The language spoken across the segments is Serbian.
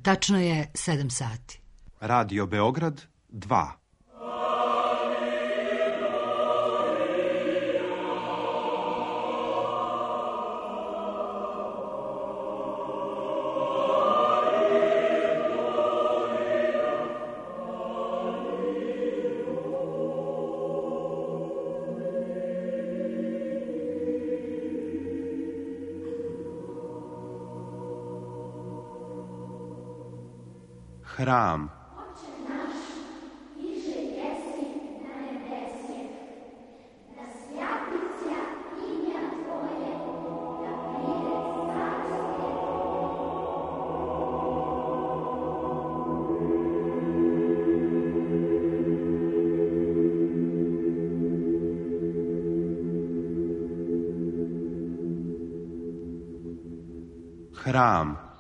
Tačno je 7 sati. Radio Beograd 2. Hram. Hram.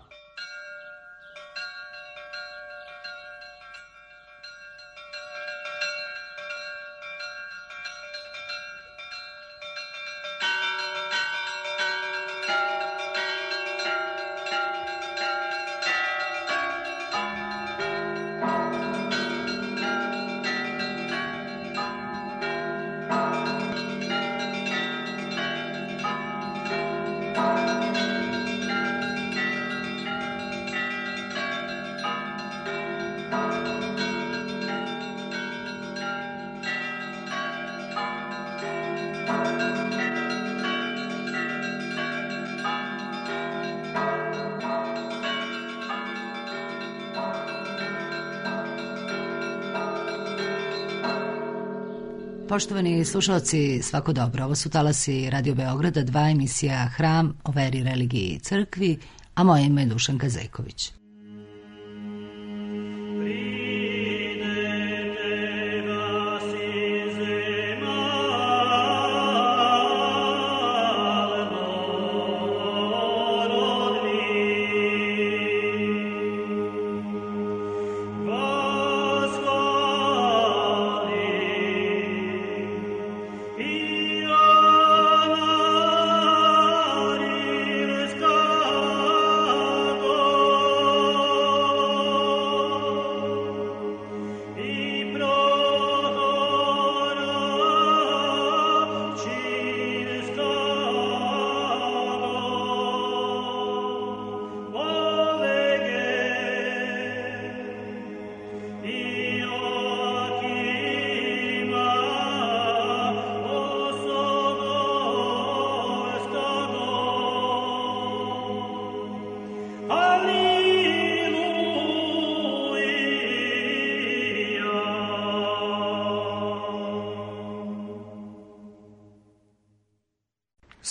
Poštovani slušalci, svako dobro. Ovo su talasi Radio Beograda 2, emisija Hram o veri, religiji i crkvi, a moje ime je Dušanka Zejković.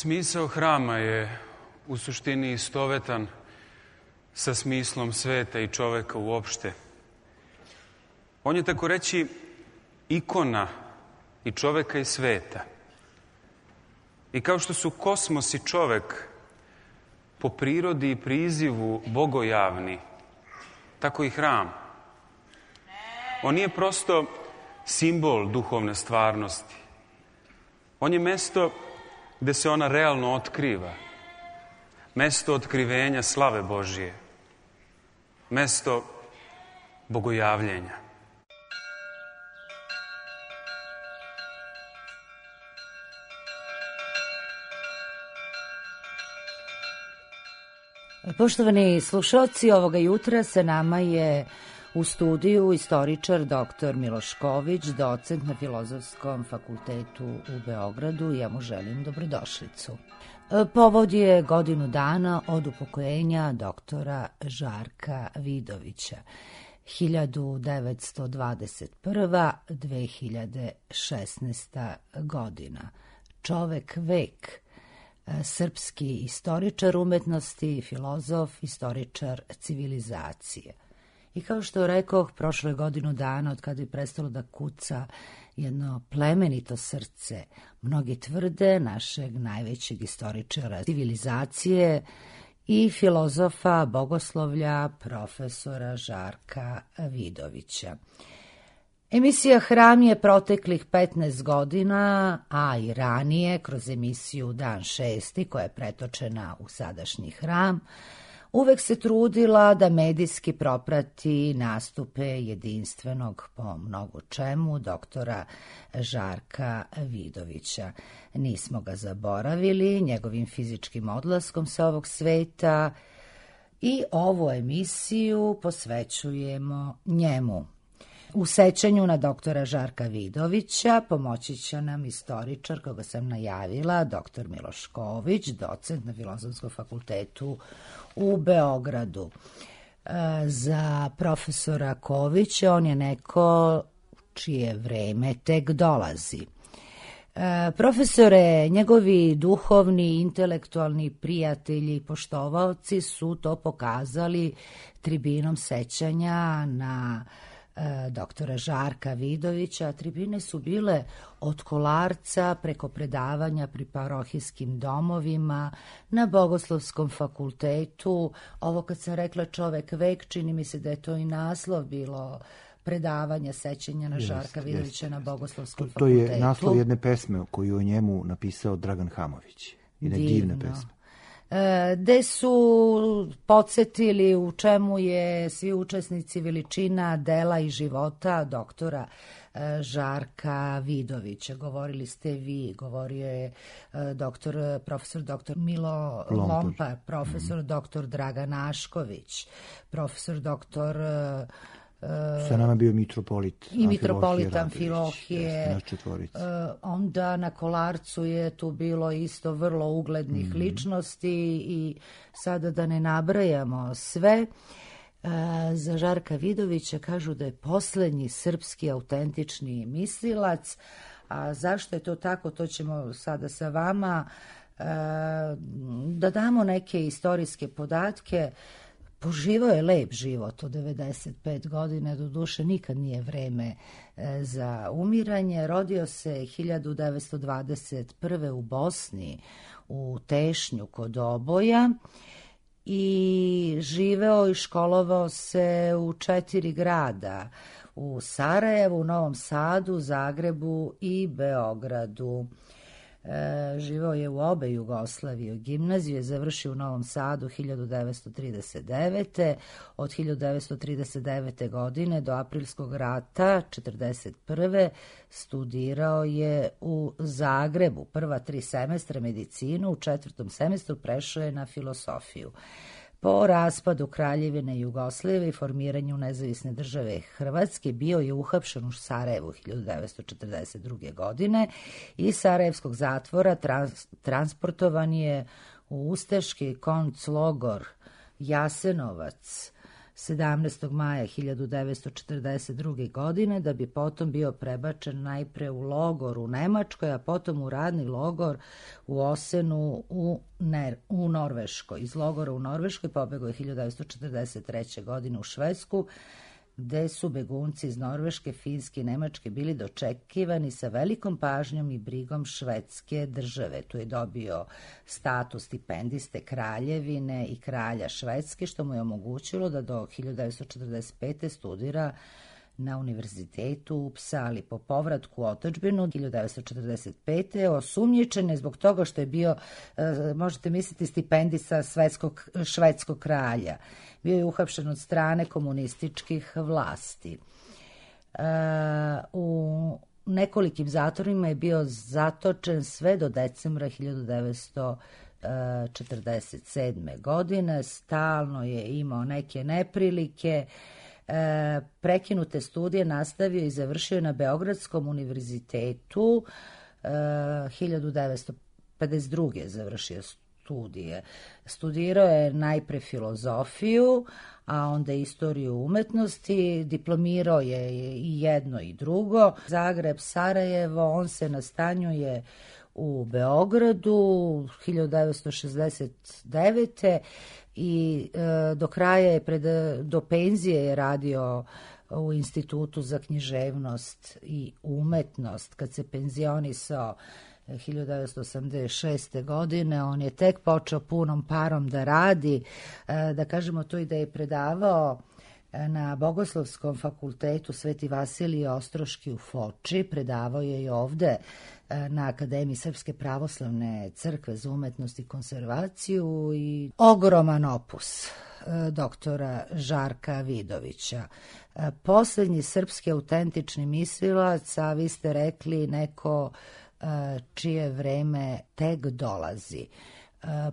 Smisao hrama je u suštini istovetan sa smislom sveta i čoveka uopšte. On je, tako reći, ikona i čoveka i sveta. I kao što su kosmos i čovek po prirodi i prizivu bogojavni, tako i hram. On nije prosto simbol duhovne stvarnosti. On je mesto gde se ona realno otkriva. Mesto otkrivenja slave Božije. Mesto bogojavljenja. Poštovani slušalci, ovoga jutra sa nama je u studiju istoričar dr. Miloš Ković, docent na Filozofskom fakultetu u Beogradu. Ja mu želim dobrodošlicu. Povod je godinu dana od upokojenja doktora Žarka Vidovića, 1921-2016 godina. Čovek vek, srpski istoričar umetnosti, filozof, istoričar civilizacije. I kao što rekoh, prošlo je godinu dana od kada je prestalo da kuca jedno plemenito srce, mnogi tvrde, našeg najvećeg istoričara civilizacije i filozofa bogoslovlja profesora Žarka Vidovića. Emisija Hram je proteklih 15 godina, a i ranije kroz emisiju Dan 6, koja je pretočena u sadašnji Hram, uvek se trudila da medijski proprati nastupe jedinstvenog po mnogo čemu doktora Žarka Vidovića. Nismo ga zaboravili njegovim fizičkim odlaskom sa ovog sveta i ovu emisiju posvećujemo njemu. U sećanju na doktora Žarka Vidovića pomoći će nam istoričar, koga sam najavila, doktor Miloš Ković, docent na Filozofskom fakultetu u Beogradu. Za profesora Kovića on je neko čije vreme tek dolazi. Profesore, njegovi duhovni, intelektualni prijatelji i poštovaoci su to pokazali tribinom sećanja na doktora Žarka Vidovića. Tribine su bile od Kolarca preko predavanja pri parohijskim domovima, na Bogoslovskom fakultetu. Ovo kad sam rekla čovek vek, čini mi se da je to i naslov bilo, predavanja sećanja na Žarka Vidovića na Bogoslovskom fakultetu. To je naslov jedne pesme koju je njemu napisao Dragan Hamović. Jedne divne pesme. Gde su podsjetili u čemu je svi učesnici veličina dela i života doktora Žarka Vidovića. Govorili ste vi, govorio je profesor doktor Milo Lompar, profesor doktor Dragan Ašković, profesor doktor sa nama bio mitropolit i mitropolit Amfilohije. Onda na Kolarcu je tu bilo isto vrlo uglednih ličnosti i sada da ne nabrajamo sve. Za Žarka Vidovića kažu da je poslednji srpski autentični mislilac. A zašto je to tako, to ćemo sada sa vama da damo neke istorijske podatke. Poživao je lep život od 95 godine, do duše nikad nije vreme za umiranje. Rodio se 1921. u Bosni, u Tešnju kod Oboja i živeo i školovao se u 4 grada, u Sarajevu, Novom Sadu, Zagrebu i Beogradu. Živao je u obe Jugoslavije. Gimnaziju je završio u Novom Sadu 1939. Od 1939. godine do aprilskog rata 1941. studirao je u Zagrebu. Prva 3 semestra medicinu, u 4. semestru prešao je na filosofiju. Po raspadu Kraljevine Jugoslavije i formiranju nezavisne države Hrvatske bio je uhapšen u Sarajevu 1942. godine i sarajevskog zatvora transportovan je u ustaški konclogor Jasenovac 17. maja 1942. godine, da bi potom bio prebačen najpre u logor u Nemačkoj, a potom u radni logor u Osenu u Norveškoj. Iz logora u Norveškoj pobegao je 1943. godine u Švedsku, gde su begunci iz Norveške, Finske i Nemačke bili dočekivani sa velikom pažnjom i brigom švedske države. Tu je dobio status stipendiste kraljevine i kralja Švedske, što mu je omogućilo da do 1945. studira na univerzitetu u Upsali. Po povratku u otadžbinu 1945. osumnjičen je zbog toga što je bio, možete misliti, stipendista švedskog kralja. Bio je uhapšen od strane komunističkih vlasti. U nekolikim zatvorima je bio zatočen sve do decembra 1947. godine. Stalno je imao neke neprilike. Prekinute studije nastavio i završio na Beogradskom univerzitetu. 1952. završio studije. Studirao je najpre filozofiju, a onda istoriju umetnosti. Diplomirao je i jedno i drugo. Zagreb, Sarajevo, on se nastanjuje u Beogradu 1969. i do kraja do penzije je radio u Institutu za književnost i umetnost. Kad se penzionisao 1986. godine, on je tek počeo punom parom da radi. Da kažemo to i da je predavao na Bogoslovskom fakultetu Sveti Vasilije Ostroški u Foči, predavao je i ovde na Akademiji Srpske pravoslavne crkve za umetnost i konzervaciju i ogroman opus doktora Žarka Vidovića. Poslednji srpski autentični mislilac, a vi ste rekli neko čije vreme tek dolazi.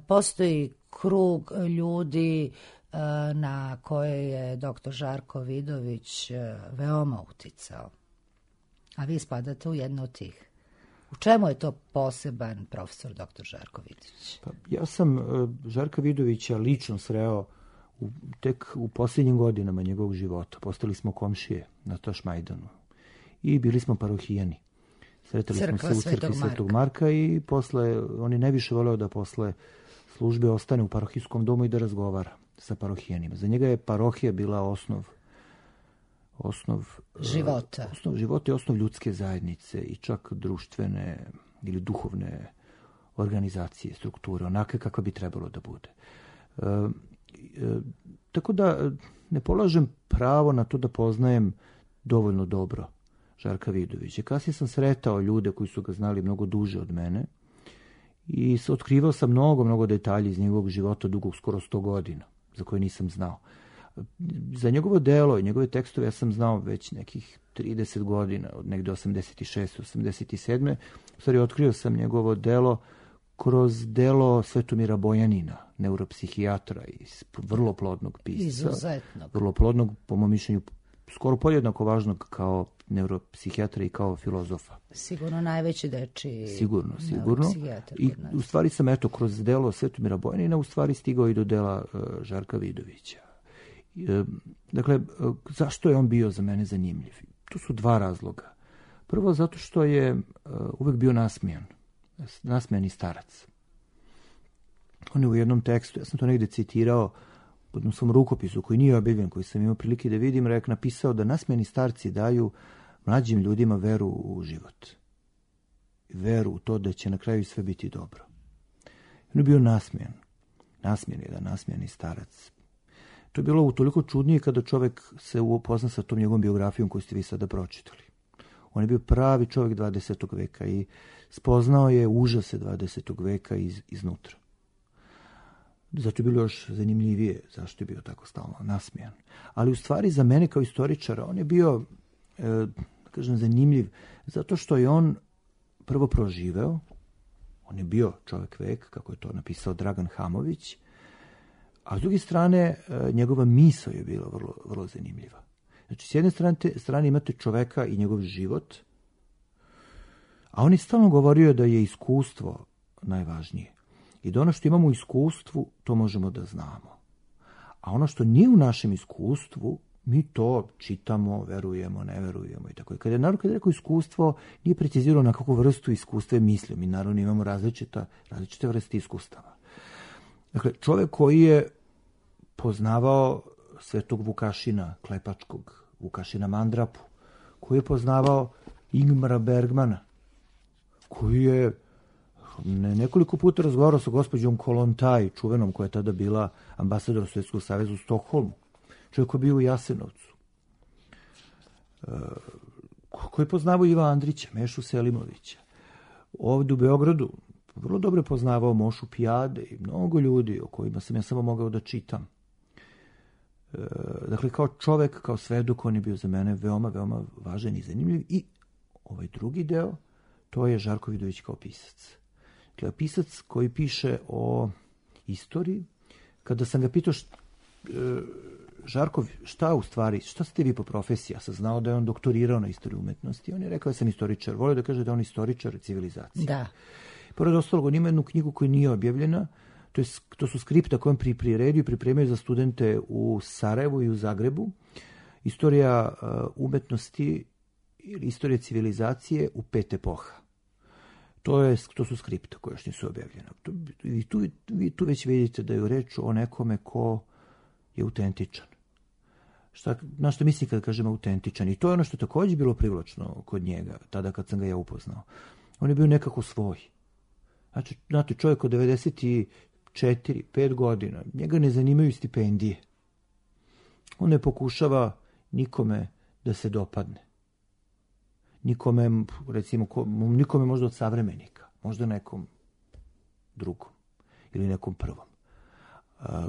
Postoji krug ljudi na koje je doktor Žarko Vidović veoma uticao. A vi spadate u jedno od tih. U čemu je to poseban profesor doktor Žarko Vidović? Pa, ja sam Žarka Vidovića lično sreo tek u posljednjim godinama njegovog života. Postali smo komšije na Tašmajdanu i bili smo parohijani. Sretali smo se u crkvi Svetog Marka i posle, on je najviše voleo da posle službe ostane u parohijskom domu i da razgovara sa parohijanima. Za njega je parohija bila osnov života. Osnov života i osnov ljudske zajednice i čak društvene ili duhovne organizacije, strukture, onake kakva bi trebalo da bude. Tako da ne polažem pravo na to da poznajem dovoljno dobro Žarka Vidovića. Kasnije sam sretao ljude koji su ga znali mnogo duže od mene i otkrivao sam mnogo detalja iz njegovog života dugog skoro 100 godina, za koje nisam znao. Za njegovo delo i njegove tekstove ja sam znao već nekih 30 godina, od negde 86. 87. U stvari otkrio sam njegovo delo kroz delo Svetomira Bojanina, neuropsihijatra i vrlo plodnog pisca. Izuzetnog. Vrlo plodnog, po mom mišljenju, skoro podjednako važnog kao neuropsihijatra i kao filozofa. Sigurno najveći dečiji Sigurno. I u stvari sam kroz delo Svetomira Bojanina u stvari stigao i do dela Žarka Vidovića. Dakle, zašto je on bio za mene zanimljiv? Tu su dva razloga. Prvo, zato što je uvek bio nasmejani starac. On je u jednom tekstu, ja sam to negde citirao u jednom svom rukopisu koji nije objavljen, koji sam imao prilike da vidim, napisao da nasmejani starci daju mlađim ljudima veru u život. Veru u to da će na kraju sve biti dobro. On je bio nasmejan. Nasmejani starac. To je bilo utoliko čudnije kada čovek se upozna sa tom njegovom biografijom koju ste vi sada pročitali. On je bio pravi čovjek 20. veka i spoznao je užase 20. veka iznutra. Zato je bilo još zanimljivije zašto je bio tako stalno nasmijan. Ali u stvari za mene kao istoričara on je bio, zanimljiv zato što je on prvo proživeo, on je bio čovjek vek, kako je to napisao Dragan Hamović, a s druge strane njegova misao je bila vrlo zanimljiva. Znači, s jedne strane imate čoveka i njegov život, a on je stalno govorio da je iskustvo najvažnije. I da ono što imamo u iskustvu, to možemo da znamo. A ono što nije u našem iskustvu, mi to čitamo, verujemo, ne verujemo i tako. Kada je rekao iskustvo, nije precizirao na kakvu vrstu iskustva je mislio. Mi naravno imamo različite vrste iskustava. Dakle, čovek koji je poznavao Svetog Vukašina Klepačkog, Vukašina Mandrapu, koji je poznavao Ingmara Bergmana, koji je nekoliko puta razgovarao sa gospođom Kolontaj, čuvenom koja je tada bila ambasador Sovjetskog saveza u Stokholmu. Čovjek koji je bio u Jasenovcu. Koji je poznavao Iva Andrića, Mešu Selimovića. Ovdje u Beogradu vrlo dobro je poznavao Mošu Pijade i mnogo ljudi o kojima sam ja samo mogao da čitam. Dakle, kao čovek, kao svedok, on je bio za mene veoma važan i zanimljiv. I ovaj drugi deo, to je Žarko Vidović kao pisac. Dakle, pisac koji piše o istoriji. Kada sam ga pitao Žarko, šta ste vi po profesiji? Ja sam znao da je on doktorirao na istoriju umetnosti. On je rekao da sam istoričar. Volio da kaže da je on istoričar civilizacije. Da. Pored ostalog, on ima jednu knjigu koja nije objavljena. To su skripta koje on pripremaju za studente u Sarajevu i u Zagrebu. Istorija umetnosti ili istorija civilizacije u 5 epoha. To su skripta koje još nisu objavljena. Vi tu već vidite da je reč o nekome ko je autentičan. Na što mislim kada kažem autentičan? I to je ono što je također bilo privlačno kod njega, tada kad sam ga ja upoznao. On je bio nekako svoj. Znači, znate, čovjek od 94-5 godina, njega ne zanimaju stipendije. On ne pokušava nikome da se dopadne. Nikome, recimo, nikome možda od savremenika, možda nekom drugom ili nekom prvom.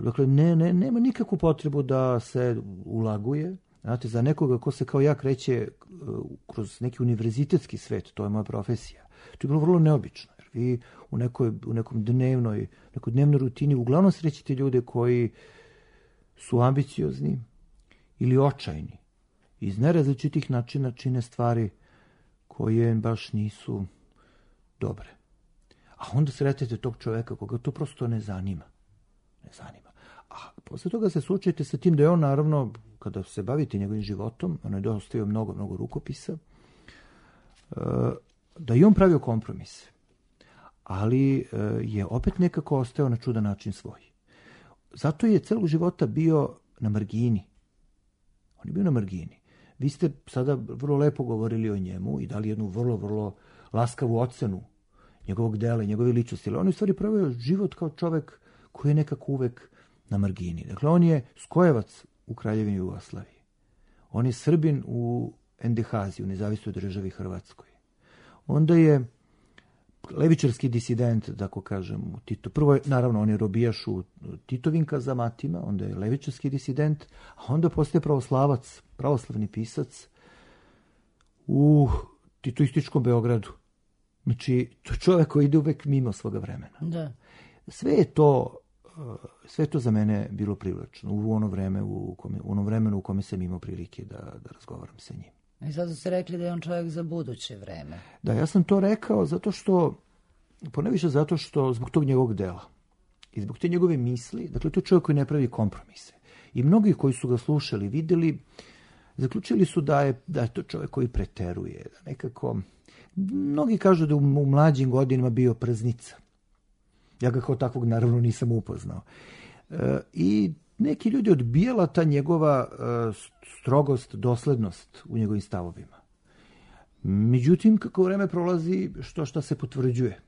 Dakle, nema nikakvu potrebu da se ulaguje. Znate, za nekoga ko se kao ja kreće kroz neki univerzitetski svet, to je moja profesija, to je bilo vrlo neobično. Jer vi u nekoj dnevnoj rutini uglavnom srećete ljude koji su ambiciozni ili očajni. Iz nerazličitih načina čine stvari koje baš nisu dobre. A onda sretete tog čoveka koga to prosto ne zanima. A posle toga se suočite sa tim da je on, naravno, kada se bavite njegovim životom, on je dostavio mnogo rukopisa, da i on pravio kompromise. Ali je opet nekako ostao na čudan način svoj. Zato je celog života bio na margini. On je bio na margini. Vi ste sada vrlo lepo govorili o njemu i dali jednu vrlo laskavu ocenu njegovog dela i njegove ličnosti. Ali on je u stvari pravio život kao čovek koji je nekako uvek na margini. Dakle, on je skojevac u Kraljevini Jugoslaviji. On je Srbin u NDH-zi, u Nezavisnoj državi Hrvatskoj. Onda je levičarski disident, da ko kažem, u Tito. Prvo je, naravno, on je robijaš u Titovim kazamatima, onda je levičarski disident, a onda postaje pravoslavac, pravoslavni pisac u titoističkom Beogradu. Znači, to je čovjek koji ide uvek mimo svoga vremena. Da. Sve je to za mene bilo privlačno u onom vremenu u kome sam imao prilike da razgovaram sa njim. I zato ste rekli da je on čovjek za buduće vreme. Da, ja sam to rekao poneviše zato što zbog tog njegovog dela i zbog te njegove misli, dakle to je čovjek koji ne pravi kompromise. I mnogi koji su ga slušali, videli, zaključili su da je to čovjek koji preteruje, da nekako. Mnogi kažu da u mlađim godinama bio prznica. Ja ga kao takvog naravno nisam upoznao. I neki ljudi odbijala ta njegova strogost, doslednost u njegovim stavovima. Međutim, kako vreme prolazi, što se potvrđuje.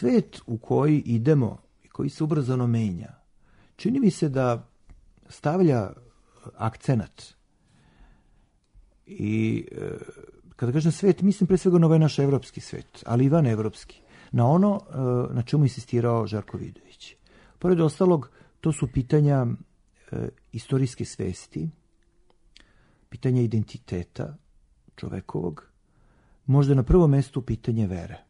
Svet u koji idemo i koji se ubrzano menja, čini mi se da stavlja akcenat. I kada kažem svet, mislim pre svega na ovaj naš evropski svet, ali i van evropski, na ono na čemu insistirao Žarko Vidović. Pored ostalog, to su pitanja istorijske svesti, pitanja identiteta čovekovog, možda na prvom mestu pitanje vere.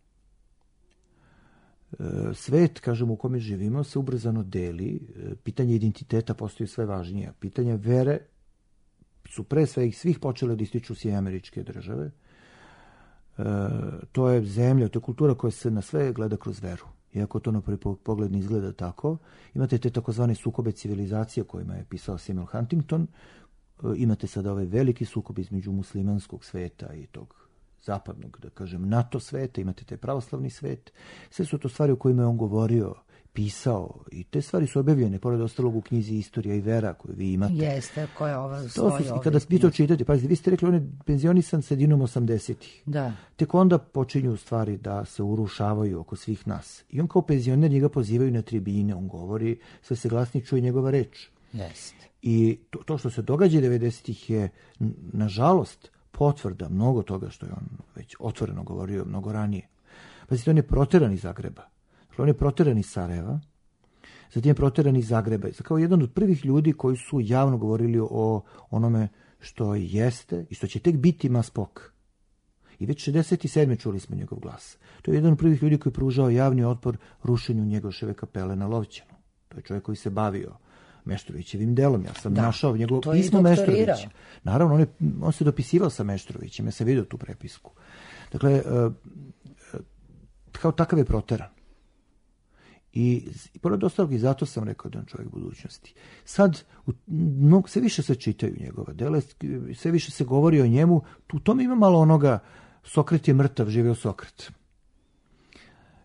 Svet, kažem, u kome živimo se ubrzano deli, pitanje identiteta postoji sve važnije. Pitanje vere su pre svih počele da ističu SAD. To je zemlja, to je kultura koja se na sve gleda kroz veru. Iako to na prvi pogled ne izgleda tako, imate te takozvane sukobe civilizacije kojima je pisao Samuel Huntington, imate sada ovaj veliki sukob između muslimanskog sveta i tog zapadnog, da kažem, NATO sveta, imate taj pravoslavni svet. Sve su to stvari o kojima je on govorio, pisao. I te stvari su objavljene, pored ostalog u knjizi Istorija i vera koju vi imate. Jeste, koja ova stoji ovdje. I kada vi to čitate, pazite, vi ste rekli, on je penzionisan sredinom 80-ih. Da. Tek onda počinju stvari da se urušavaju oko svih nas. I on kao penzioner njega pozivaju na tribine, on govori, sve se glasnije čuje njegova reč. Jeste. I to što se događa 90-ih je, nažalost, potvrda mnogo toga što je on već otvoreno govorio mnogo ranije. Pazite, on je proteran iz Zagreba. Dakle, on je proteran iz Sarajeva, zatim je proteran iz Zagreba. Kao jedan od prvih ljudi koji su javno govorili o onome što jeste i što će tek biti Maspok. I već 67. čuli smo njegov glas. To je jedan od prvih ljudi koji je pružao javni otpor rušenju Njegoševe kapele na Lovćenu. To je čovjek koji se bavio Meštrovićevim delom. Ja sam našao njegovo pismo Meštrovića. Naravno, on se dopisivao sa Meštrovićem. Ja sam vidio tu prepisku. Dakle, kao takav je proteran. I pored ostalog, i zato sam rekao da je on čovjek budućnosti. Sad, sve više se čitaju njegova dela, sve više se govori o njemu. U tome ima malo onoga, Sokrat je mrtav, živeo Sokrat.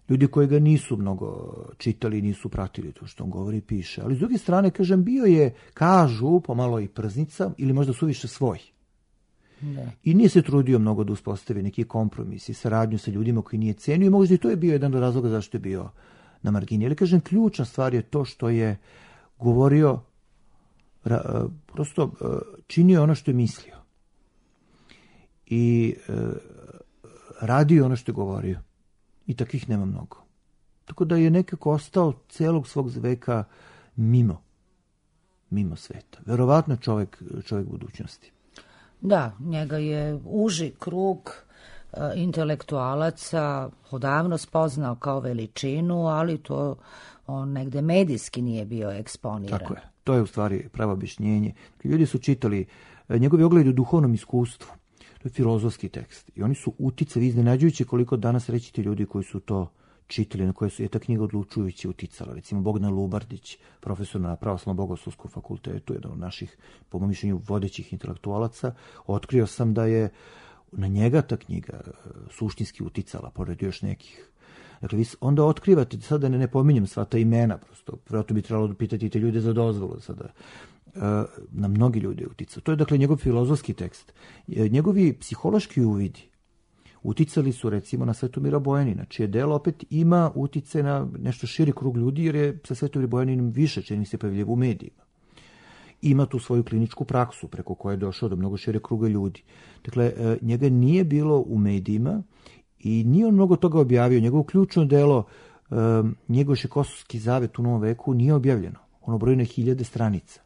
Ljudi koji ga nisu mnogo čitali, nisu pratili to što on govori i piše. Ali s druge strane, kažem, bio je, kažu, pomalo i prznica, ili možda suviše svoj. Ne. I nije se trudio mnogo da uspostavi neki kompromis i saradnju sa ljudima koji nije cenio i možda i to je bio jedan od razloga zašto je bio na margini. Ali kažem, ključna stvar je to što je govorio, prosto činio ono što je mislio. I radio ono što je govorio. I takvih nema mnogo. Tako da je nekako ostao celog svog veka mimo sveta. Verovatno čovjek budućnosti. Da, njega je uži krug intelektualaca odavno spoznao kao veličinu, ali to on negde medijski nije bio eksponiran. Tako je. To je u stvari pravo objašnjenje. Ljudi su čitali njegovi ogledi u duhovnom iskustvu. To je filozofski tekst. I oni su uticali, iznenađujući koliko danas rećite ljudi koji su to čitali, na koje je ta knjiga odlučujući uticala. Recimo Bogdan Lubardić, profesor na Pravoslavnom bogoslovskom fakultetu, jedan od naših, po mom mišljenju, vodećih intelektualaca. Otkrio sam da je na njega ta knjiga suštinski uticala, pored još nekih. Dakle, vi onda otkrivate, sada ne pominjem sva ta imena, prosto, vjerojatno bi trebalo pitati te ljude za dozvolu sada. Na mnogi ljudi je uticao. To je, dakle, njegov filozofski tekst. Njegovi psihološki uvidi uticali su, recimo, na Svetomira Bojanina, čije delo opet ima utice na nešto širi krug ljudi, jer je sa Svetomir Bojaninom više čini se pojavljivo u medijima. Ima tu svoju kliničku praksu preko koje je došao do mnogo šire kruga ljudi. Dakle, njega nije bilo u medijima i nije on mnogo toga objavio. Njegovo ključno delo, Njegoš Kosovski zavet u Novom veku, nije objavljeno. Ono broji na 1000 stranica.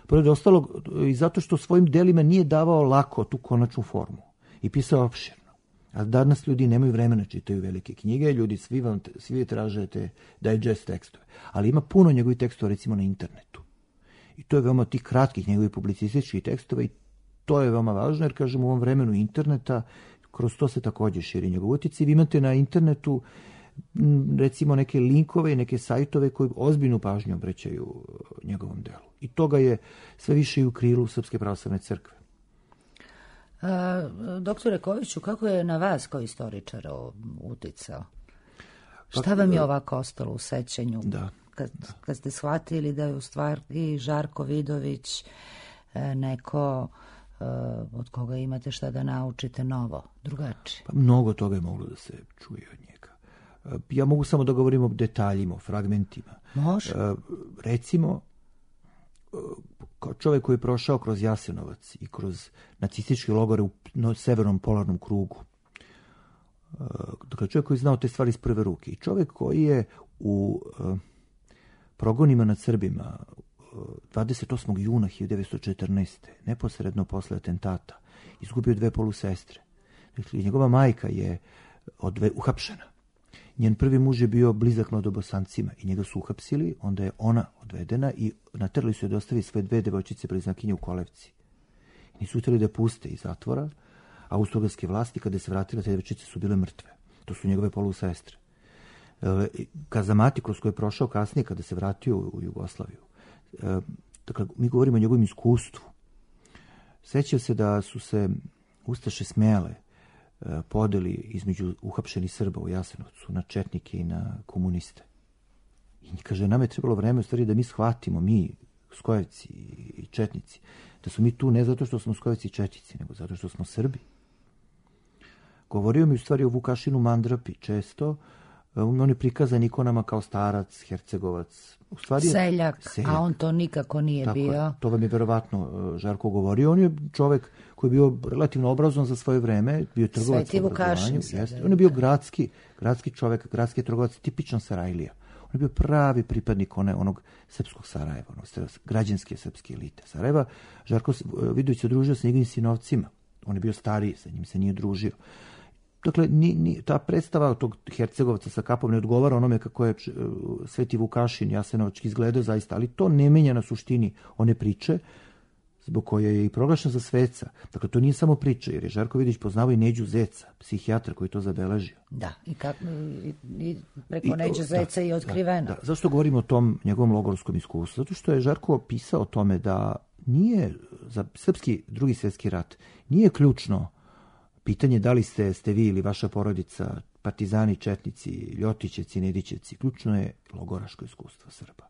Pored ostalog, i zato što svojim delima nije davao lako tu konačnu formu i pisao opširno. A danas ljudi nemaju vremena čitaju velike knjige, ljudi svi tražete digest tekstove. Ali ima puno njegovih tekstova, recimo, na internetu. I to je veoma tih kratkih njegovih publicističkih tekstova i to je veoma važno, jer, kažem, u ovom vremenu interneta, kroz to se također širi njegov utjecaj. Vi imate na internetu, recimo, neke linkove i neke sajtove koji ozbiljnu pažnju obraćaju njegovom delu. I toga je sve više i u krilu Srpske pravoslavne crkve. Doktore Koviću, kako je na vas kao istoričara uticao? Šta vam je ovako ostalo u sećanju? Kad ste shvatili da je u stvari Žarko Vidović neko od koga imate šta da naučite novo, drugačije? Pa mnogo toga je moglo da se čuje od njega. Ja mogu samo da govorim o detaljima, o fragmentima. Može. Recimo, kao čovjek koji je prošao kroz Jasenovac i kroz nacističke logore u severnom polarnom krugu. Dakle, čovjek koji je znao te stvari iz prve ruke. I čovjek koji je u progonima nad Srbima 28. juna 1914. neposredno posle atentata izgubio 2 polusestre. Dakle, njegova majka je uhapšena. Njen prvi muž je bio blizak mladobosancima i njega su uhapsili, onda je ona odvedena i naterali su je da ostavi svoje 2 devojčice bliznakinje u kolevci. I nisu htjeli da je puste iz zatvora, a austrougarske vlasti, kada se vratile, te devojčice su bile mrtve. To su njegove polusestre. Kazamati, kroz koje je prošao kasnije, kada se vratio u Jugoslaviju. Dakle, mi govorimo o njegovom iskustvu. Sećao se da su se ustaše smjele podeli između uhapšenih Srba u Jasenovcu na četnike i na komuniste. I kaže, nama je trebalo vreme u stvari da mi shvatimo, mi, Skojevci i Četnici, da su mi tu ne zato što smo Skojevci i Četnici, nego zato što smo Srbi. Govorio mi u stvari o Vukašinu Mandrapi često, on je prikazan ikonama kao starac, hercegovac. U stvari seljak, a on to nikako nije tako bio. To vam je verovatno Žarko govorio. On je čovek koji je bio relativno obrazovan za svoje vreme, bio trgovac u obrazovanju. On je bio gradski čovek, gradski trgovac, tipičan Sarajlija. On je bio pravi pripadnik onog srpskog Sarajeva, građanske srpske elite Sarajeva. Žarko Vidović se družio sa njegovim sinovcima. On je bio stariji, sa njim se nije družio. Dakle, ta predstava tog Hercegovca sa kapom ne odgovara onome kako je Sveti Vukašin Jasenovački izgledao zaista, ali to ne menja na suštini one priče zbog koje je i proglašen za sveca. Dakle, to nije samo priča, jer je Žarko Vidović poznavao i Neđu Zeca, psihijatra koji to zabeležio. Da, i preko Neđe Zeca je otkriveno. Da. Zašto govorimo o tom njegovom logorskom iskustvu? Zato što je Žarko pisao o tome da nije za srpski drugi svjetski rat nije ključno pitanje da li ste vi ili vaša porodica partizani, četnici, ljotićevci, nedićevci. Ključno je logoraško iskustvo Srba.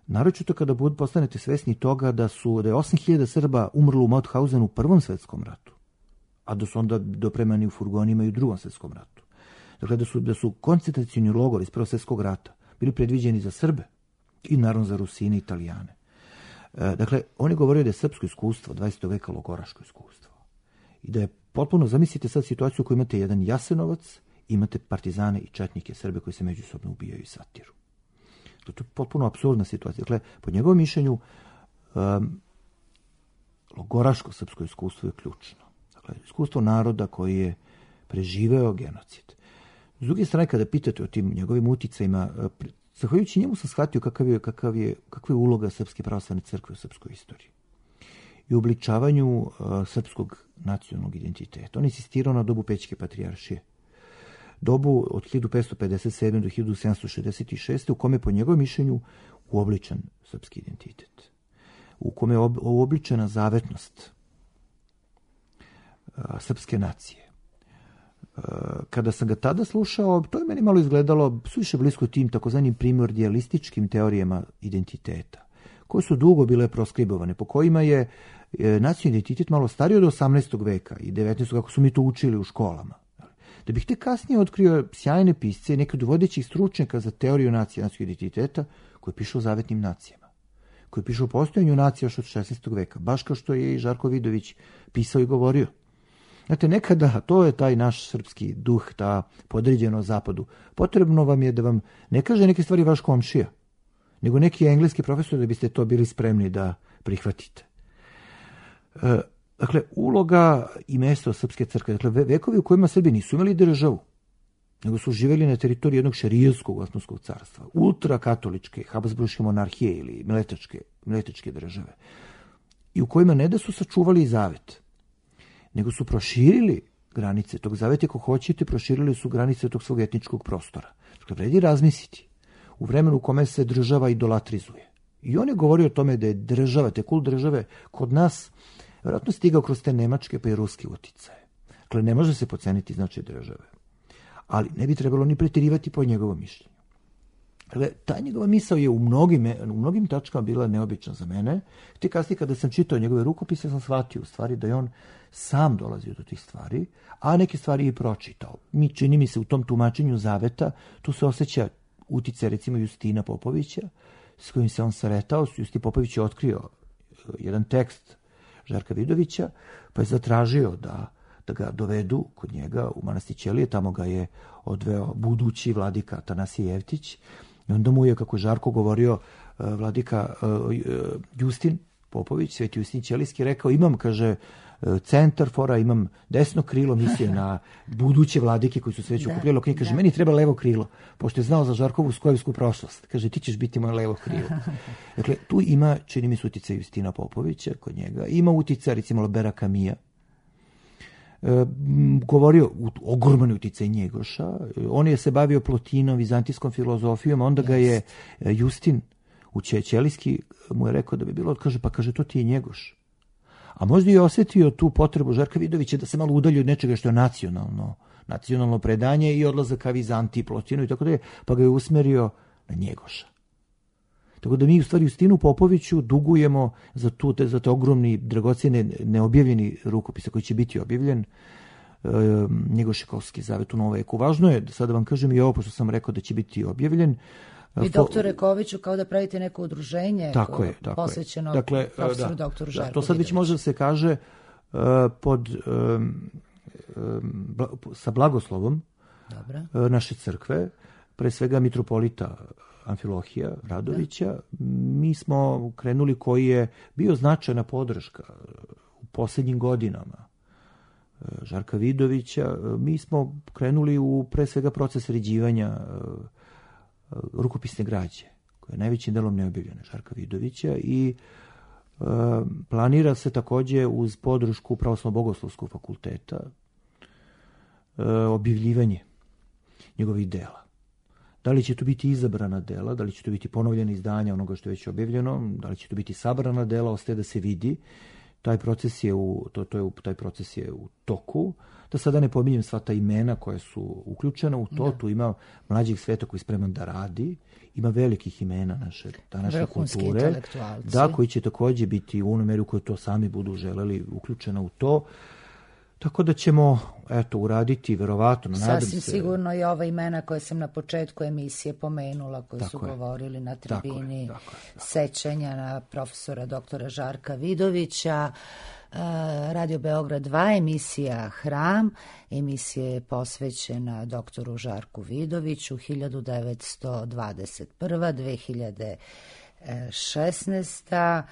Naročito kada postanete svesni toga da je 8.000 Srba umrlo u Mauthausenu u Prvom svjetskom ratu, a da su onda dopremani u furgonima i u Drugom svjetskom ratu. Dakle, da su koncentracioni logori iz Prvog svjetskog rata bili predviđeni za Srbe i naravno za Rusine i Italijane. Dakle, on je govorio da je srpsko iskustvo 20. veka logoraško iskustvo. I da je potpuno, zamislite sad situaciju u kojoj imate jedan Jasenovac, imate partizane i četnike Srbe koji se međusobno ubijaju i satiru. To je potpuno apsurdna situacija. Dakle, po njegovom mišljenju, logoraško srpsko iskustvo je ključno. Dakle, iskustvo naroda koji je preživeo genocid. S druge strane, kada pitate o tim njegovim uticajima, zahvaljujući njemu sam shvatio kakva je uloga Srpske pravoslavne crkve u srpskoj istoriji i u obličavanju srpskog nacionalnog identiteta. On je insistirao na dobu Pećke patrijaršije. Dobu od 1557. do 1766. u kome je po njegovom mišljenju uobličen srpski identitet. U kome je uobličena zavetnost srpske nacije. Kada sam ga tada slušao, to je meni malo izgledalo suviše blisko tim takozvanim primordialističkim teorijama identiteta, koje su dugo bile proskribovane, po kojima je nacionalni identitet malo stariji od 18. veka i 19. kako su mi to učili u školama. Da bih te kasnije otkrio sjajne pisce, neke od vodećih stručnjaka za teoriju nacionalnog identiteta, koji pišu o zavetnim nacijama, koji pišu o postojanju nacija još od 16. veka, baš kao što je i Žarko Vidović pisao i govorio. Znate, nekada, to je taj naš srpski duh, ta podređeno zapadu. Potrebno vam je da vam ne kaže neke stvari vaš komšija, nego neki engleski profesor da biste to bili spremni da prihvatite. Dakle, uloga i mesto srpske crkve, dakle, vekovi u kojima Srbi nisu imali državu, nego su živjeli na teritoriji jednog šerijskog Osmanskog carstva, ultrakatoličke, habsburške monarhije ili miletačke države, i u kojima ne da su sačuvali zavet, nego su proširili granice tog zaveta, ako hoćete, proširili su granice tog svog etničkog prostora. Dakle, vredi razmisliti u vremenu u kome se država idolatrizuje. I on je govorio o tome da je država, te kult države kod nas vjerojatno stigao kroz te nemačke pa i ruske uticaje. Dakle, ne može se poceniti značaj države. Ali ne bi trebalo ni pretjerivati po njegovom mišljenju. Dakle, ta njegova misao je u mnogim tačkama bila neobična za mene. Te kasnije kada sam čitao njegove rukopise, sam shvatio u stvari da je on sam dolazio do tih stvari, a neke stvari i pročitao. Čini mi se u tom tumačenju zaveta, tu se osjeća uticaj recimo Justina Popovića, s kojim se on sretao. Justin Popović je otkrio jedan tekst Žarka Vidovića, pa je zatražio da ga dovedu kod njega u manastir Ćelije, tamo ga je odveo budući vladika Atanasije Jevtić, i onda mu je, kako je Žarko govorio, vladika Justin Popović, Sveti Justin Ćelijski, rekao, imam, kaže, centar fora, imam desno krilo, misije na buduće vladike koji su se već okupljali. Kaže, meni treba levo krilo, pošto je znao za Žarkovu skojevsku prošlost. Kaže, ti ćeš biti moje levo krilo. Dakle, tu ima, čini mi se, uticaj Justina Popovića kod njega. Ima uticaj, recimo, Albera Camilla. Govorio ogroman uticaj Njegoša. On je se bavio Plotinom, vizantijskom filozofijom, onda ga je Justin Ćelijski mu je rekao da bi bilo, kaže, to ti je Njegoš. A možda je osjetio tu potrebu Žarka Vidovića da se malo udalji od nečega što je nacionalno predanje i odlazak ka Vizantiji, Plotinu i tako da je, pa ga je usmerio na Njegoša. Tako da mi u stvari Justinu Popoviću dugujemo za te ogromni, dragocjene, neobjavljeni rukopise koji će biti objavljen, Njegošekovski zavet u novom veku. Važno je, sada vam kažem i ovo, pošto sam rekao da će biti objavljen. Vi, doktore Koviću, kao da pravite neko udruženje posvećeno profesoru doktoru Žarku Vidoviću. To sad već može da se kaže sa blagoslovom naše crkve, pre svega mitropolita Amfilohija Radovića. Mi smo krenuli, koji je bio značajna podrška u posljednjim godinama Žarka Vidovića. Mi smo krenuli u pre svega proces sređivanja rukopisne građe, koja je najvećim delom neobjavljena Žarka Vidovića, i planira se takođe uz podršku Pravoslavno-bogoslovskog fakulteta objavljivanje njegovih dela. Da li će to biti izabrana dela, da li će to biti ponovljena izdanja onoga što je već objavljeno, da li će to biti sabrana dela, ostaje da se vidi. Taj proces je u toku. Da sada ne pominjem sva ta imena koja su uključena u to. Tu ima mlađih sveta koji je spreman da radi, ima velikih imena naše današnje kulture, koji će takođe biti u onoj meri u kojoj to sami budu želeli uključena u to. Tako da ćemo, uraditi, verovatno, nadam se. Sasvim sigurno i ova imena koje sam na početku emisije pomenula, koji su govorili na tribini sećanja na profesora doktora Žarka Vidovića. Radio Beograd 2, emisija Hram. Emisija je posvećena doktoru Žarku Vidoviću, 1921. 2016.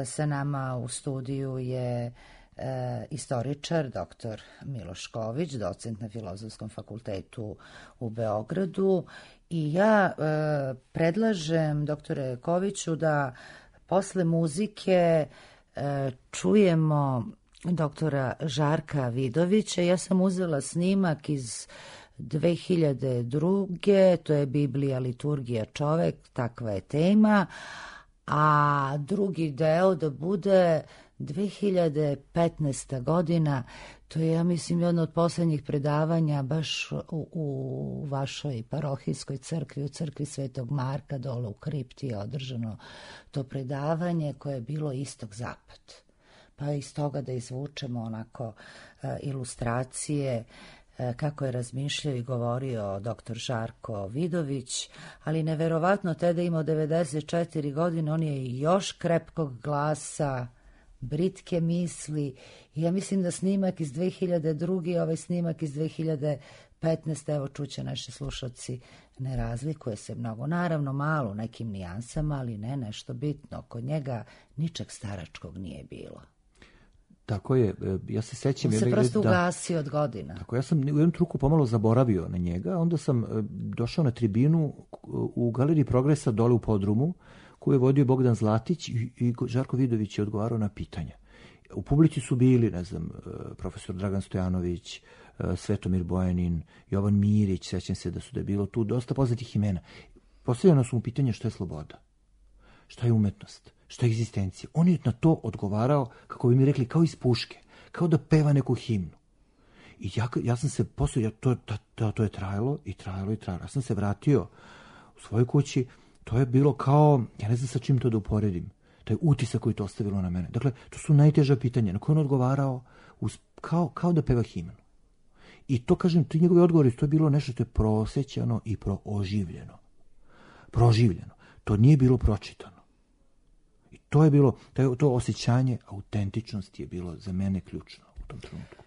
Sa nama u studiju je istoričar dr. Miloš Ković, docent na Filozofskom fakultetu u Beogradu, i ja predlažem, doktore Koviću, da posle muzike čujemo doktora Žarka Vidovića. Ja sam uzela snimak iz 2002. To je Biblija, liturgija, čovek, takva je tema, a drugi deo da bude 2015. godina. To je, ja mislim, jedno od poslednjih predavanja baš u vašoj parohijskoj crkvi, u crkvi Svetog Marka, dole u kripti je održano to predavanje koje je bilo istok-zapad. Pa iz toga da izvučemo onako ilustracije kako je razmišljao i govorio dr. Žarko Vidović, ali neverovatno, tada imao 94 godine, on je još krepkog glasa, britke misli. Ja mislim da snimak iz 2002. ovaj snimak iz 2015. evo čuće naši slušalci, ne razlikuje se mnogo. Naravno malo nekim nijansama, ali ne nešto bitno. Kod njega ničeg staračkog nije bilo. Tako je, ja se sećam. On se prosto ugasio od godina. Tako, ja sam u jednom truku pomalo zaboravio na njega, onda sam došao na tribinu u Galeriji Progresa dole u podrumu, koju je vodio Bogdan Zlatić, i Žarko Vidović je odgovarao na pitanja. U publici su bili, ne znam, profesor Dragan Stojanović, Svetomir Bojanin, Jovan Mirić, sećam se da je bilo tu dosta poznatih imena. Postavljeno su mu pitanje šta je sloboda, šta je umetnost, šta je egzistencija. On je na to odgovarao, kako bi mi rekli, kao iz puške, kao da peva neku himnu. I ja sam se posle, to je trajalo i trajalo i trajalo. Ja sam se vratio u svojoj kući. To je bilo kao, ja ne znam sa čim to da uporedim, taj utisak koji to ostavilo na mene. Dakle, to su najteža pitanja na koje on odgovarao kao da peva himnu. I to, kažem, ti njegovi odgovori, to je bilo nešto što je prosećano i prooživljeno. Proživljeno. To nije bilo pročitano. I to je bilo, to osjećanje autentičnosti je bilo za mene ključno u tom trenutku.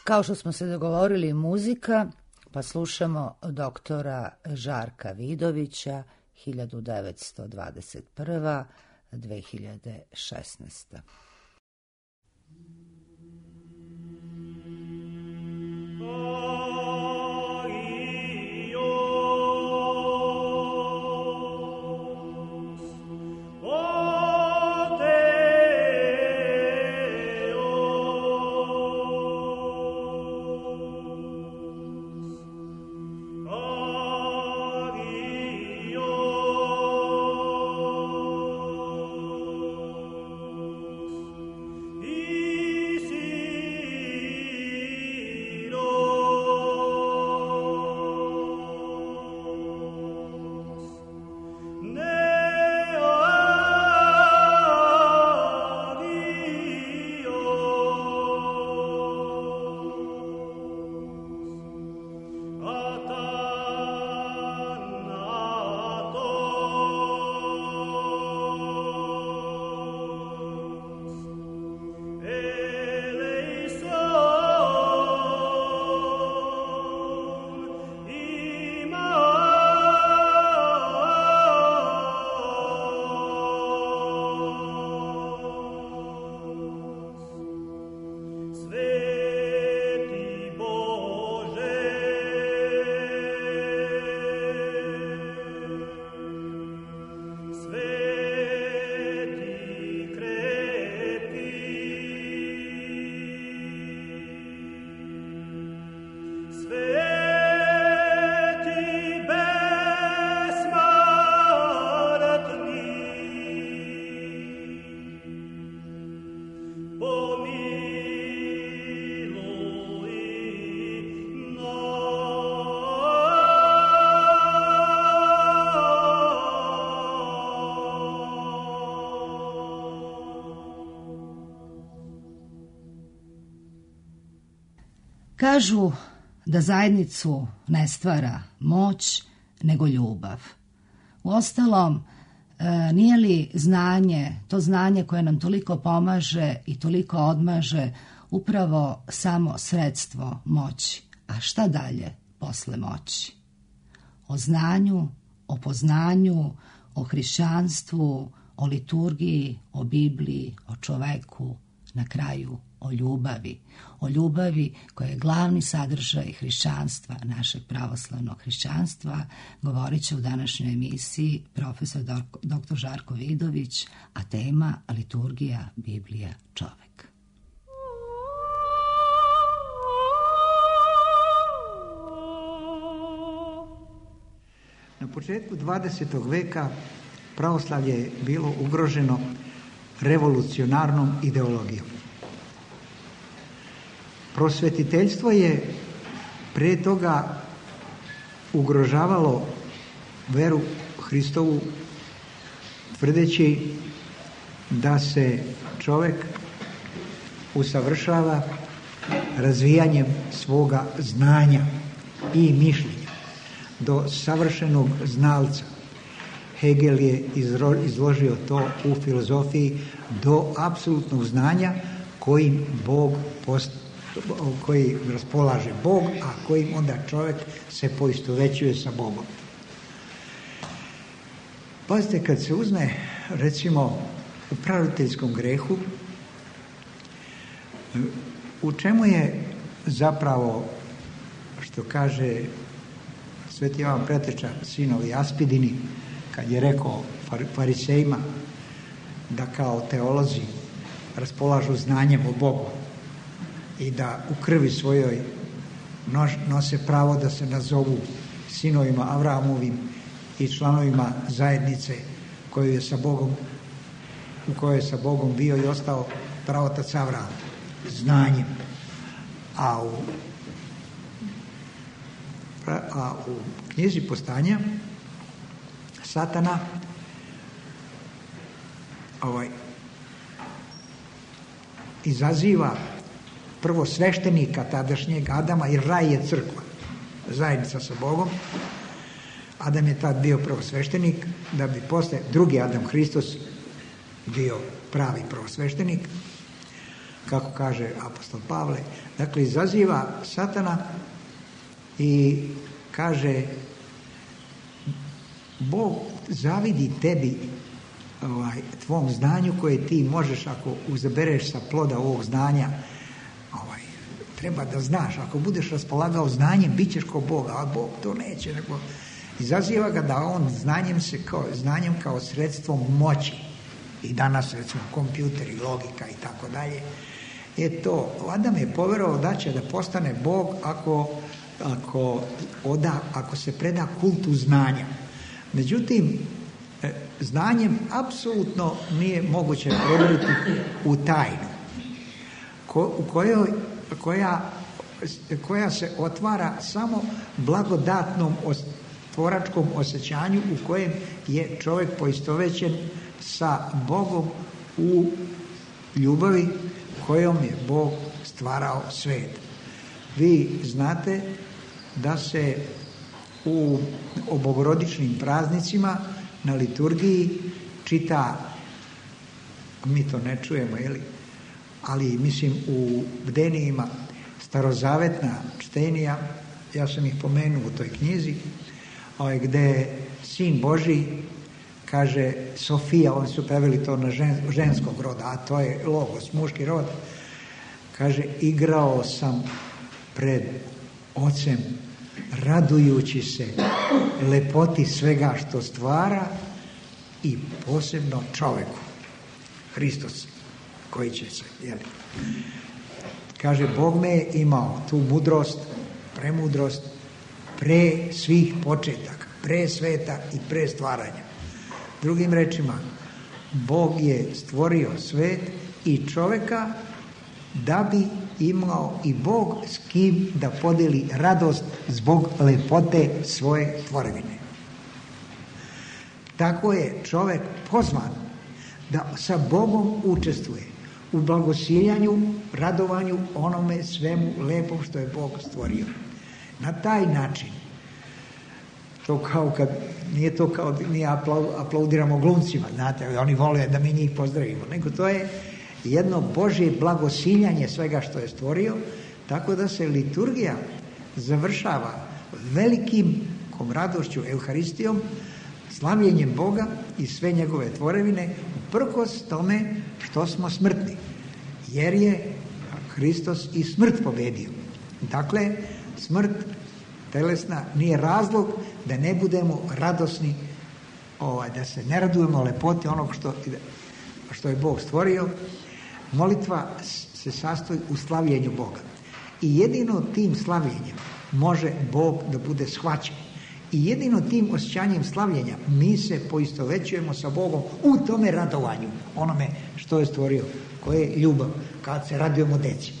Kao što smo se dogovorili, muzika, pa slušamo doktora Žarka Vidovića, 1921. 2016. Oh Kažu da zajednicu ne stvara moć, nego ljubav. Uostalom, nije li znanje, to znanje koje nam toliko pomaže i toliko odmaže, upravo samo sredstvo moći? A šta dalje posle moći? O znanju, o poznanju, o hrišćanstvu, o liturgiji, o Bibliji, o čoveku, na kraju o ljubavi. O ljubavi koja je glavni sadržaj hrišćanstva, našeg pravoslavnog hrišćanstva, govorit će u današnjoj emisiji profesor dr. Žarko Vidović, a tema liturgija, Biblija, čovek. Na početku 20. veka pravoslavlje je bilo ugroženo revolucionarnom ideologijom. Prosvetiteljstvo je prije toga ugrožavalo veru Hristovu, tvrdeći da se čovjek usavršava razvijanjem svoga znanja i mišljenja do savršenog znalca. Hegel je izložio to u filozofiji do apsolutnog znanja kojim koji raspolaže Bog, a kojim onda čovjek se poistovećuje sa Bogom. Pazite, kad se uzme, recimo, u praroditeljskom grehu, u čemu je zapravo, što kaže Sveti Jovan Preteča, sinovi Aspidini, kad je rekao farisejima da kao teolozi raspolažu znanjem o Bogu i da u krvi svojoj nose pravo da se nazovu sinovima Avrahamovim i članovima zajednice koju je sa Bogom, u kojoj je sa Bogom bio i ostao pravotac Avraham, znanjem. A u knjizi Postanja Satana izaziva prvo sveštenika tadašnjeg Adama, jer raj je crkva, zajednica sa Bogom. Adam je tad bio prvosveštenik, da bi posle drugi Adam, Hristos, bio pravi prvosveštenik, kako kaže apostol Pavle. Dakle, izaziva Satana i kaže: Bog zavidi tebi, tvom znanju koje ti možeš, ako uzabereš sa ploda ovog znanja, treba da znaš, ako budeš raspolagao znanjem, bit ćeš ko Boga, a Bog to neće, nego izaziva ga da on znanjem kao sredstvom moći, i danas recimo kompjuteri, logika i tako dalje, Adam je poverovao da će da postane Bog ako se preda kultu znanja. Međutim, znanjem apsolutno nije moguće prodriti u tajnu koja se otvara samo blagodatnom tvoračkom osjećanju u kojem je čovjek poistovećen sa Bogom u ljubavi kojom je Bog stvarao svijet. Vi znate da se u bogorodičnim praznicima na liturgiji čita, mi to ne čujemo, ali mislim u bdenijima starozavetna čtenija, ja sam ih pomenuo u toj knjizi, gde Sin Božji kaže Sofija, oni su preveli to na ženskog roda, a to je logos, muški rod, kaže: igrao sam pred Ocem, radujući se lepoti svega što stvara i posebno čoveku, Hristos, koji će se, kaže, Bog me je imao tu mudrost, premudrost, pre svih početaka, pre sveta i pre stvaranja. Drugim rečima, Bog je stvorio svet i čoveka da bi imao i Bog s kim da podeli radost zbog lepote svoje tvorevine. Tako je čovek pozvan da sa Bogom učestvuje u blagosiljanju, radovanju onome svemu lepom što je Bog stvorio. Na taj način, to kao kad, nije to kao mi aplaudiramo glumcima, znate, oni vole da mi njih pozdravimo, nego to je jedno Božje blagosiljanje svega što je stvorio, tako da se liturgija završava velikim radošću Euharistijom, slavljenjem Boga i sve njegove tvorevine, uprkos tome što smo smrtni, jer je Hristos i smrt pobedio. Dakle, smrt telesna nije razlog da ne budemo radosni, da se ne radujemo lepoti onog što je Bog stvorio. Molitva se sastoji u slavljenju Boga. I jedino tim slavljenjem može Bog da bude shvaćen. I jedino tim osjećanjem slavljenja mi se poistovećujemo sa Bogom u tome radovanju, onome što je stvorio, koje je ljubav, kad se radujemo deci.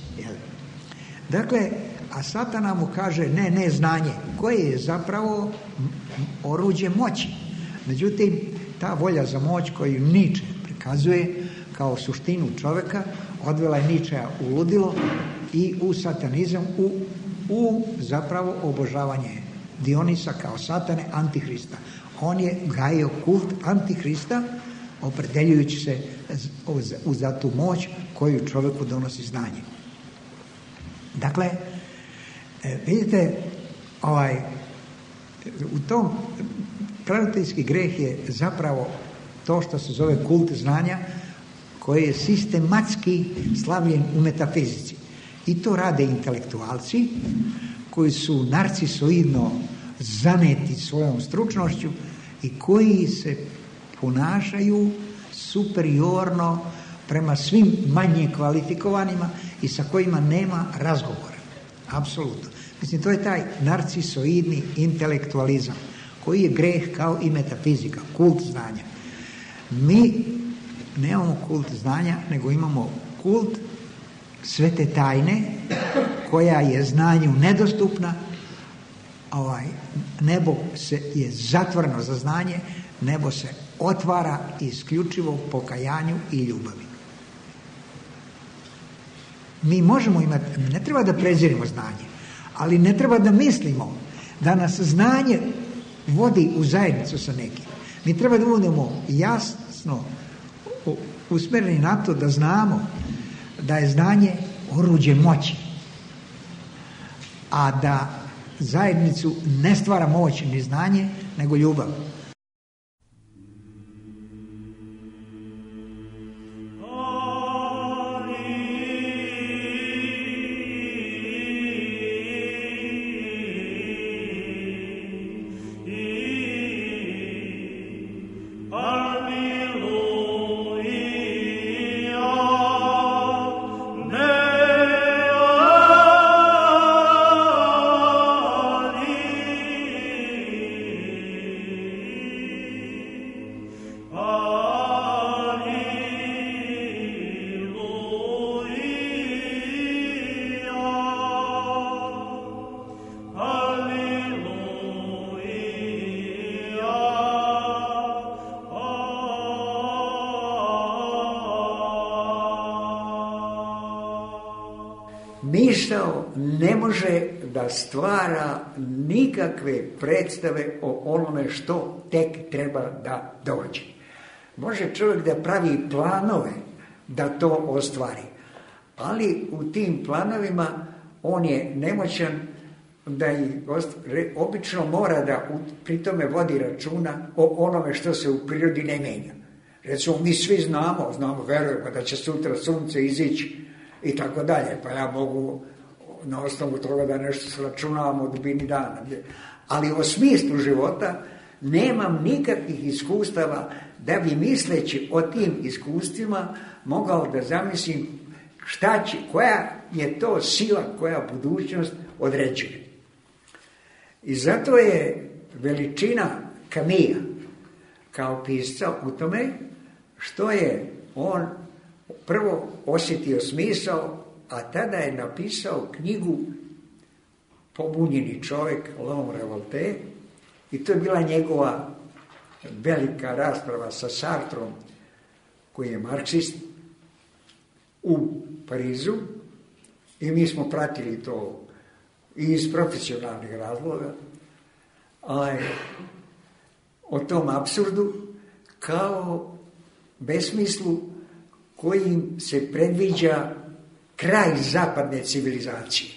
Dakle, a Satana mu kaže ne znanje, koje je zapravo oruđe moći. Međutim, ta volja za moć koju Niče prikazuje kao suštinu čoveka, odvela je Ničeja u ludilo i u satanizam, u zapravo obožavanje Dionisa kao satane, Antihrista. On je gajio kult Antihrista, opredeljujući se za tu moć koju čovjeku donosi znanje. Dakle, vidite, u tom praviteljski greh je zapravo to što se zove kult znanja, koji je sistematski slavljen u metafizici. I to rade intelektualci koji su narcisoidno zaneti svojom stručnošću i koji se ponašaju superiorno prema svim manje kvalifikovanima i sa kojima nema razgovora. Apsolutno. Mislim, to je taj narcisoidni intelektualizam koji je greh kao i metafizika, kult znanja. Mi nemamo kult znanja, nego imamo kult svete tajne koja je znanju nedostupna. Nebo je zatvoreno za znanje, nebo se otvara isključivo pokajanju i ljubavi. Mi možemo imati, ne treba da prezirimo znanje, ali ne treba da mislimo da nas znanje vodi u zajednicu sa nekim. Mi treba da budemo jasno usmjereni na to da znamo da je znanje oruđe moći, a da zajednicu ne stvara moć ni znanje, nego ljubav. Misao ne može da stvara nikakve predstave o onome što tek treba da dođe. Može čovjek da pravi planove da to ostvari, ali u tim planovima on je nemoćan da ih obično mora da pri tome vodi računa o onome što se u prirodi ne menja. Recimo, mi svi znamo, verujemo da će sutra sunce izići i tako dalje, pa ja mogu na osnovu toga da nešto sračunavam o dubini dana. Ali o smislu života nemam nikakvih iskustava da bi misleći o tim iskustvima mogao da zamislim šta će, koja je to sila koja budućnost određuje. I zato je veličina Camilla kao pisca u tome što je on prvo osjetio smisao, a tada je napisao knjigu Pobunjeni čovjek, L'homme révolté, i to je bila njegova velika rasprava sa Sartrom, koji je marksist, u Parizu i mi smo pratili to i iz profesionalnih razloga, o tom apsurdu kao besmislu kojim se predviđa kraj zapadne civilizacije.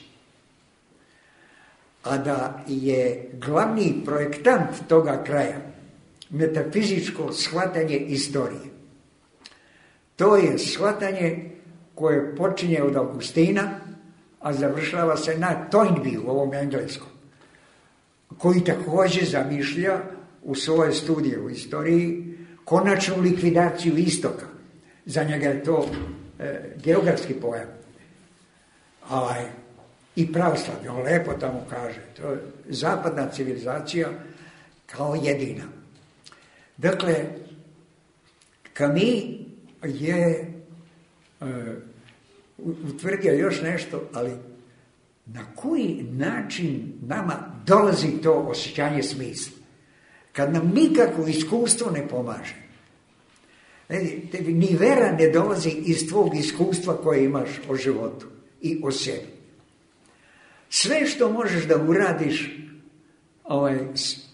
A da je glavni projektant toga kraja metafizičko shvatanje istorije. To je shvatanje koje počinje od Augustina, a završava se na Toynbee, u ovom engleskom, koji također zamišlja u svoje studije u istoriji konačnu likvidaciju istoka. Za njega je to geografski pojam. I pravoslavlje, on lepo tamo kaže, to je zapadna civilizacija kao jedina. Dakle, Camus je utvrdio još nešto, ali na koji način nama dolazi to osjećanje smisla? Kad nam nikako iskustvo ne pomaže. Tebi ni vera ne dolazi iz tvog iskustva koje imaš o životu i o sebi. Sve što možeš da uradiš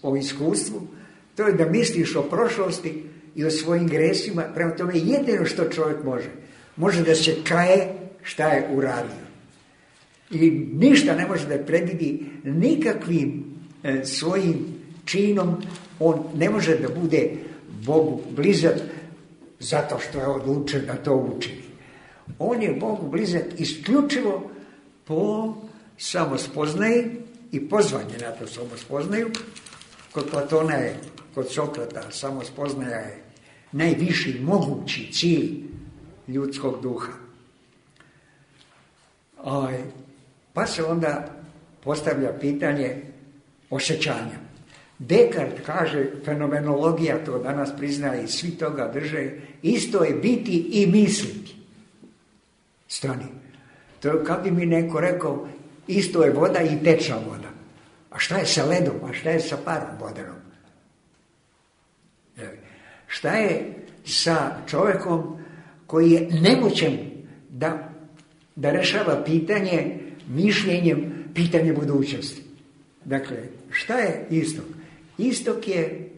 o iskustvu, to je da misliš o prošlosti i o svojim gresima. Prema tome jedino što čovjek može da se kaje šta je uradio. I ništa ne može da predvidi nikakvim svojim činom. On ne može da bude Bogu blizak zato što je odlučen da to učini. On je Bogu blizak isključivo po samospoznaji i pozvanje na to samospoznaju. Kod Platona je, kod Sokrata, samospoznaja je najviši mogući cilj ljudskog duha. Pa se onda postavlja pitanje osjećanja. Descartes kaže, fenomenologija to danas priznaje i svi toga drže, isto je biti i misliti. Stani. To je kad bi mi neko rekao, isto je voda i tečna voda. A šta je sa ledom, a šta je sa parom vodenom? Šta je sa čovjekom koji je nemoćan da rešava pitanje mišljenjem, pitanje budućnosti? Dakle, šta je istok? Istok je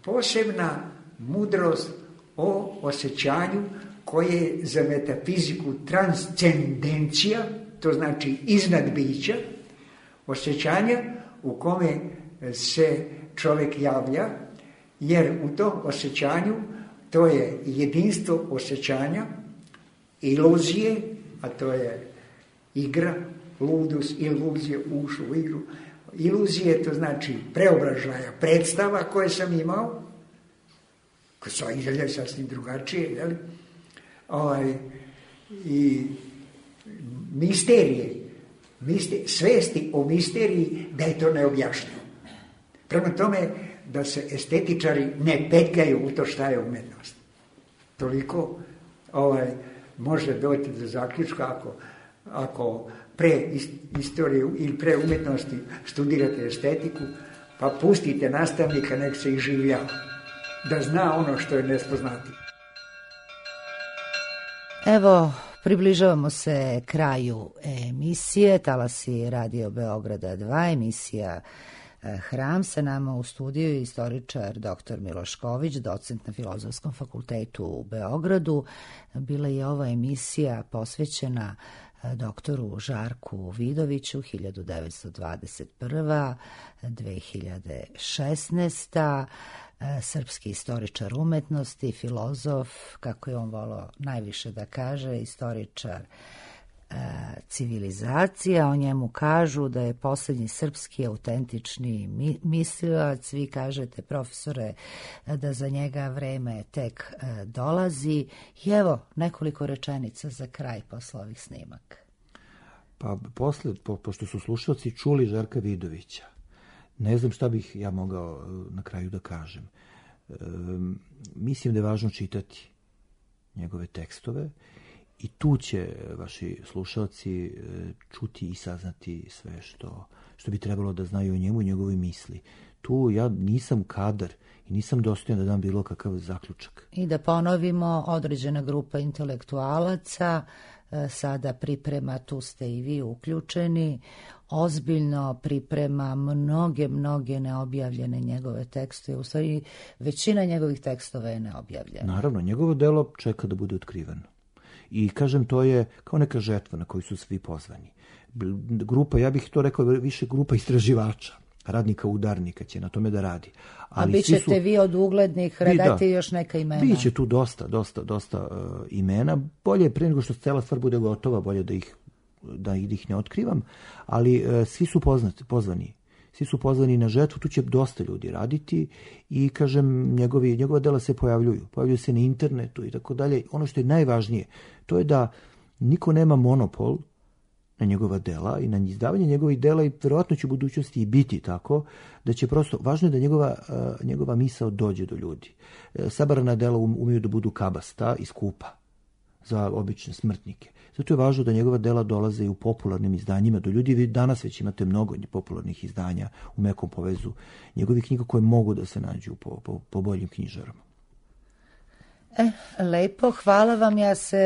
posebna mudrost o osjećanju koje je za metafiziku transcendencija, to znači iznad bića, osjećanja u kome se čovjek javlja, jer u tom osjećanju to je jedinstvo osjećanja, iluzije, a to je igra, ludus, iluzije, ušlo u igru. Iluzije, to znači preobražaja predstava koje sam imao, koje su izgleda sasvim drugačije, jel? I misterije, svesti o misteriji da je to neobjašnjivo. Prema tome da se estetičari ne petljaju u to šta je umetnost. Toliko može doći do zaključka ako pre istoriju ili pre umetnosti studirate estetiku, pa pustite nastavnika nek se iživljava, da zna ono što je nespoznati. Evo, približavamo se kraju emisije. Talasi Radio Beograda 2, emisija Hram. Sa nama u studiju istoričar dr. Milošković, docent na Filozofskom fakultetu u Beogradu. Bila je ova emisija posvećena doktoru Žarku Vidoviću, 1921-2016. Srpski istoričar umetnosti, filozof, kako je on volao najviše da kaže, istoričar civilizacija. O njemu kažu da je posljednji srpski autentični mislilac. Vi kažete, profesore, da za njega vreme tek dolazi. I evo nekoliko rečenica za kraj posle ovih snimaka. Pa pošto su slušalci čuli Žarka Vidovića, ne znam šta bih ja mogao na kraju da kažem. Mislim da je važno čitati njegove tekstove i tu će vaši slušalci čuti i saznati sve što bi trebalo da znaju o njemu i njegovoj misli. tu ja nisam kadar i nisam dostojan da dam bilo kakav zaključak. I da ponovimo, određena grupa intelektualaca sada priprema, tu ste i vi uključeni, ozbiljno priprema mnoge neobjavljene njegove tekstove. U stvari, većina njegovih tekstova je neobjavljena. Naravno, njegovo delo čeka da bude otkriveno. I kažem, to je kao neka žetva na koju su svi pozvani. Grupa, ja bih to rekao, više grupa istraživača, radnika, udarnika će na tome da radi. Ali a bit ćete vi od uglednih, redajte još neka imena. Biće tu dosta imena. Bolje je pre nego što cela stvar bude gotova, bolje da ih ne otkrivam, ali svi su pozvani. Svi su pozvani na žetvu, tu će dosta ljudi raditi i, kažem, njegova dela se pojavljuju se na internetu i tako dalje. Ono što je najvažnije, to je da niko nema monopol na njegova dela i na izdavanje njegovih dela i verovatno će u budućnosti i biti tako, da će prosto, važno je da njegova misao dođe do ljudi. Sabrana dela umeju da budu kabasta i skupa za obične smrtnike. Zato je važno da njegova dela dolaze i u popularnim izdanjima do ljudi. Vi danas već imate mnogo popularnih izdanja u mekom povezu njegovih knjiga koje mogu da se nađu po boljim knjižarama. Lepo, hvala vam. Ja se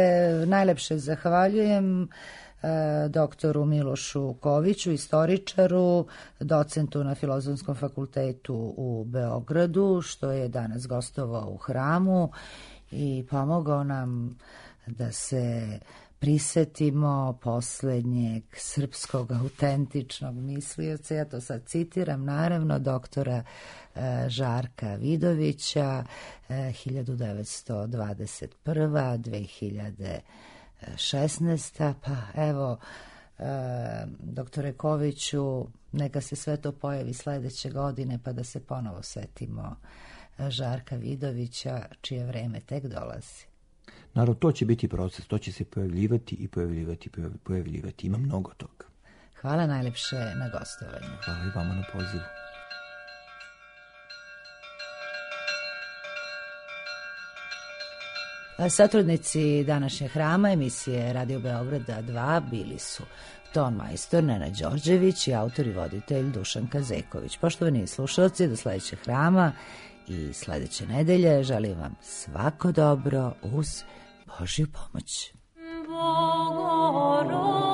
najlepše zahvaljujem doktoru Milošu Koviću, istoričaru, docentu na Filozofskom fakultetu u Beogradu, što je danas gostovao u Hramu i pomogao nam da se prisetimo poslednjeg srpskog autentičnog mislioca. Ja to sad citiram, naravno, doktora Žarka Vidovića, 1921-2016. Pa evo, doktore Koviću, neka se sve to pojavi sledeće godine, pa da se ponovo setimo Žarka Vidovića, čije vreme tek dolazi. Naravno, to će biti proces, to će se pojavljivati. Ima mnogo toga. Hvala najlepše na gostovanju. Hvala i vama na pozivu. Satrudnici današnjeg Hrama, emisije Radio Beograda 2, bili su ton majstor Nenad Đorđević i autor i voditelj Dušan Kazeković. Poštovani slušalci, do sledećeg Hrama i sledeće nedelje želim vam svako dobro uz Božju pomoć. Bogorodice